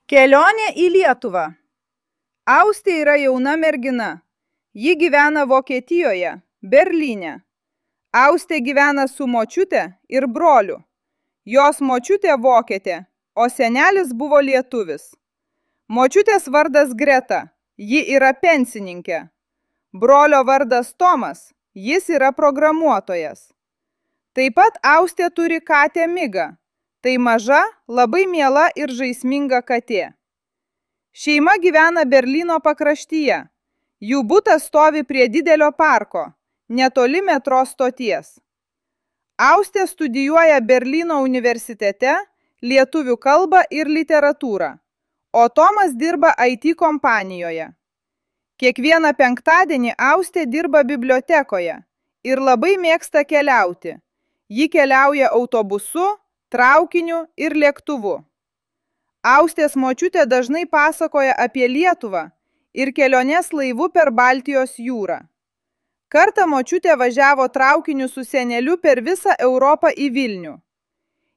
Kelionė į Lietuvą. Austė yra jauna mergina. Ji gyvena Vokietijoje, Berlyne. Austė gyvena su močiute ir broliu. Jos močiutė vokietė, o senelis buvo lietuvis. Močiutės vardas Greta, ji yra pensininkė. Brolio vardas Tomas, jis yra programuotojas. Taip pat Austė turi katę Migą. Tai maža, labai miela ir žaisminga katė. Šeima gyvena Berlyno pakraštyje. Jų butas stovi prie didelio parko, netoli metro stoties. Austė studijuoja Berlyno universitete lietuvių kalbą ir literatūrą, o Tomas dirba IT kompanijoje. Kiekvieną penktadienį Austė dirba bibliotekoje ir labai mėgsta keliauti. Ji keliauja autobusu, traukiniu ir lėktuvu. Austės močiutė dažnai pasakoja apie Lietuvą ir keliones laivu per Baltijos jūrą. Kartą močiutė važiavo traukiniu su seneliu per visą Europą į Vilnių.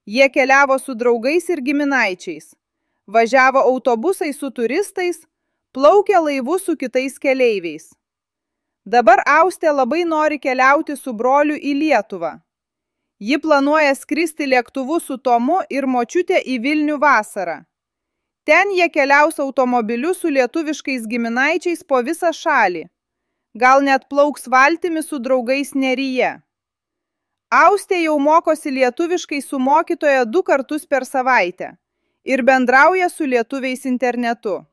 Jie keliavo su draugais ir giminaičiais, važiavo autobusai su turistais, plaukė laivu su kitais keleiviais. Dabar Austė labai nori keliauti su broliu į Lietuvą. Ji planuoja skristi lėktuvu su Tomu ir močiutė į Vilnių vasarą. Ten jie keliaus automobiliu su lietuviškais giminaičiais po visą šalį. Gal net plauks valtimi su draugais Neryje. Austė jau mokosi lietuviškai su mokytoja 2 kartus per savaitę ir bendrauja su lietuviais internetu.